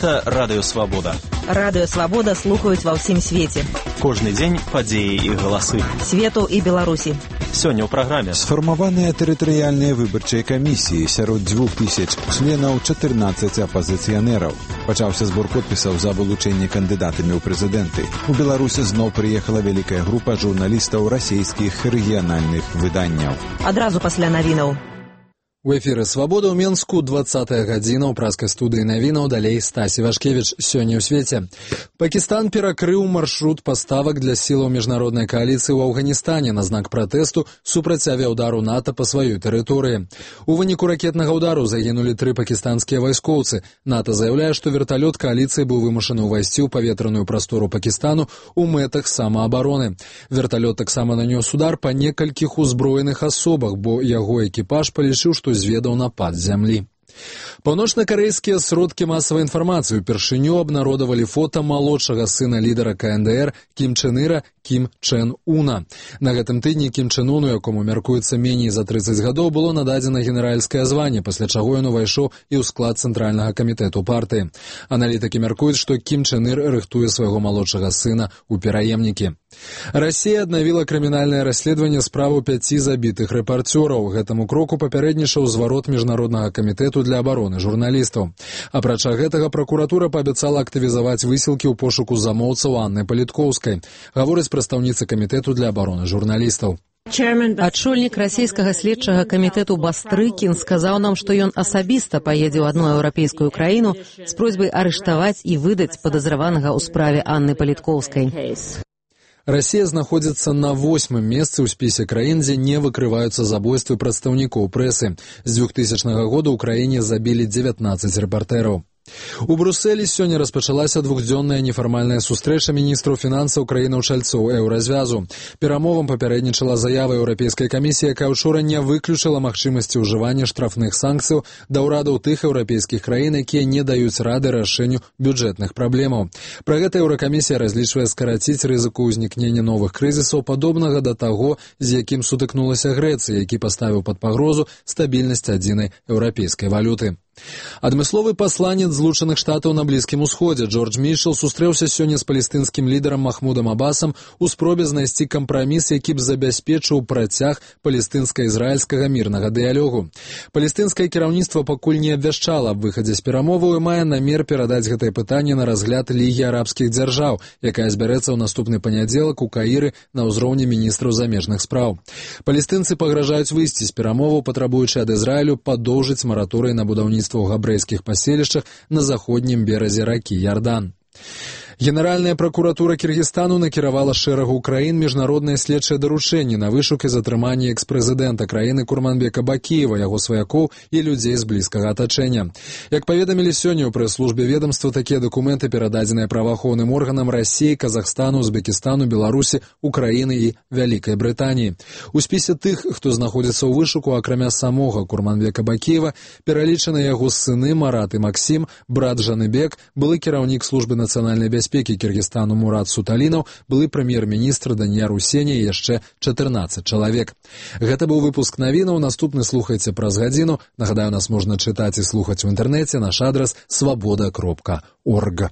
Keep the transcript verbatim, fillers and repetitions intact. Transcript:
Гэта Радыё Свабода. Радыё Свабода слухаюць ва ўсім свеце. Кожны дзень падзеі і галасы. Свету і Беларусі. Сёння ў праграме. Сфармаваныя тэрытарыяльныя выбарчыя камісіі, сярод дзвюх тысяч членаў чатырнаццаць апазіцыянераў. Пачаўся збор подпісаў за вылучэнне кандыдатамі ў прэзідэнты. У Беларусі зноў прыехала вялікая група журналістаў расійскіх рэгіянальных выданняў. Адразу пасля навінаў. У эфіры «Свабода» ў Менску, двадцатая гадзіна ў праскай студыі навінаў, далей Стасі Вашкевіч. Сёння ў свеце. Пакістан перакрыў маршрут паставак для сілаў міжнароднай кааліцыі ў Афганістане на знак пратэсту супраць авіаўдару НАТО па сваёй тэрыторыі. У выніку ракетнага ўдару загінулі тры пакістанскія вайскоўцы. НАТО заяўляе, што верталёт кааліцыі быў вымушаны ўвайсці ў паветраную прастору Пакістану ў мэтах самаабароны. Верталёт таксама нанёс удар па некалькіх узброеных асобах, бо яго экіпаж палічыў, што зведаў напад з зямлі. Паўночна-карэйскія сродкі масавай інфармацыі упершыню абнародавалі фота малодшага сына лідара ка эн дэ эр Кім Чен Іра Кім Чен Уна. На гэтым тыдні Кім Чен Уну, якому мяркуецца меней за трыццаць гадоў, было нададзена генеральскае званне, пасля чаго ён увайшоў і ў склад цэнтральнага камітэту партыі. Аналітыкі мяркуюць, што Кім Чен Ір рыхтуе свайго малодшага сына ў пераемнікі. Расія аднавіла крымінальнае расследаванне справу пяці забітых рэпарцёраў. Гэтаму кроку папярэднічаў зварот міжнароднага камітэту для абароны журналістаў. Апрача гэтага, пракуратура паабяцала актывізаваць высілкі ў пошуку замоўцаў Анны Паліткоўскай, гаворыць прадстаўніца камітэту для абароны журналістаў. Адшольнік расійскага следчага камітэту Бастрыкін сказаў нам, што ён асабіста паедзе ў адну еўрапейскую краіну з просьбай арыштаваць і выдаць падазраванага ў справе Анны Паліткоўскай. Расія знаходзіцца на восьмым месцы ў спісе краін, дзе не выкрываюцца забойствы прадстаўнікоў прэсы. З двухтысячнага года ў краіне забілі дзевятнаццаць рэпартэраў. У Брусэлі сёння распачалася двухдзённая нефармальная сустрэча міністраў фінансаў краінаў-чальцоў еўразвязу. Перамовам папярэднічала заява Еўрапейскай камісіі, якая ўчора не выключыла магчымасці ўжывання штрафных санкцыяў да ўрадаў тых еўрапейскіх краін, якія не даюць рады рашэнню бюджэтных праблемаў. Пра гэта Еўракамісія разлічвае скараціць рызыку ўзнікнення новых крызісаў, падобнага да таго, з якім сутыкнулася Грэцыя, які паставіў пад пагрозу стабільнасць адзінай еўрапейскай валюты. Адмысловы пасланец Злучаных Штатаў на Блізкім Усходзе Джордж Мітчел сустрэўся сёння з палестынскім лідарам Махмудам Абасам у спробе знайсці кампраміс, які б забяспечыў працяг палестынска-ізраільскага мірнага дыялогу. Палестынскае кіраўніцтва пакуль не абвяшчала аб выхадзе з перамоваў і мае намер перадаць гэтае пытанне на разгляд Лігі арабскіх дзяржаў, якая збярэцца ў наступны панядзелак у Каіры на ўзроўні міністраў замежных спраў. Палестынцы пагражаюць выйсці з перамоваў, патрабуючы ад Ізраілю падоўжыць мараторый на будаўніцтва у габрэйскіх паселішчах на заходнім беразе ракі Ярдан. Генеральная пракуратура Кіргізстану накіравала шэрагу краін міжнародныя следчыя даручэнні на вышук і затрыманне экс-прэзідэнта краіны Курманбека Бакіева, яго сваякоў і людзей з блізкага атачэння. Як паведамілі сёння ў прэс-службе ведамства, такія дакументы перададзеныя праваахоўным органам Расіі, Казахстану, Узбекістану, Беларусі, Украіны і Вялікай Брытаніі. У спісе тых, хто знаходзіцца ў вышуку, акрамя самога Курманбека Бакіева, пералічаны яго сыны Марат і Максім, брат Жаныбек, былы кіраўнік службы нацыянальнай бяспекі бяспекі Кіргізстану Мурат Суталінаў, былы прэм'ер-міністр Данияр Усені і яшчэ чатырнаццаць чалавек. Гэта быў выпуск навінаў, наступны слухайце праз гадзіну. Нагадаю, нас можна чытаць і слухаць у інтэрнэце, наш адрас свабода кропка орг.